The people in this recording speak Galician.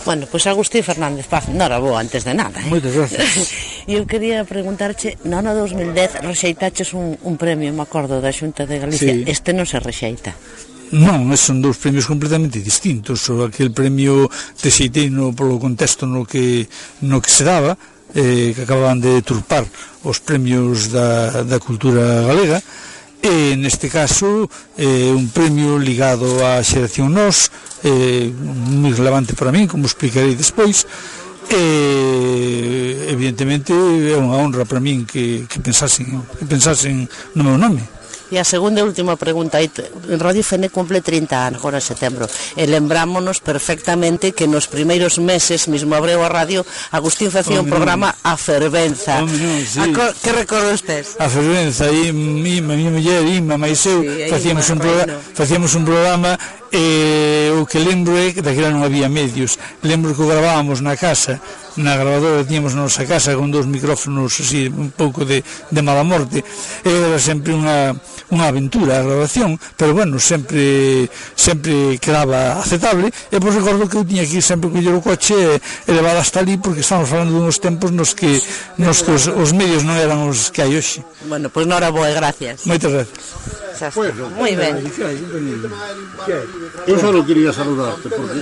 Bueno, pois Agustín Fernández Paz, noraboa antes de nada, Moitas gracias. Eu quería preguntarche, no ano 2010 rexeitaches un premio, me acordo, da Xunta de Galicia. Sí. Este non se rexeita. Non, son dous premios completamente distintos. Aquel premio rexeitei polo contexto no que se daba, que acababan de turpar os premios da cultura galega, e neste caso un premio ligado á xeración Nós, moi relevante para min, como explicarei despois, e evidentemente é unha honra para min que pensasen no meu nome. E a segunda e última pregunta, Radio Fene cumple 30 anos agora en setembro, e lembrámonos perfectamente que nos primeiros meses, mesmo abreu a radio, Agustín facía un programa A Fervenza. Sí. Que recordos tes? A Fervenza, e a miña muller, Ima, máis eu, facíamos un programa, e o que lembro é que daquela non había medios. Lembro que o gravábamos na casa, na grabadora tiñamos na nosa casa con 2 micrófonos así, un pouco de mala morte. Era sempre unha aventura a grabación, pero bueno, sempre quedaba aceptable. E pois recordo que eu tiña que ir sempre coller o coche e levar hasta ali, porque estamos falando de uns tempos nos que os medios non eran os que hai hoxe. Bueno, pois noraboa e gracias. Moitas gracias. Moi ben. Yo solo quería saludarte porque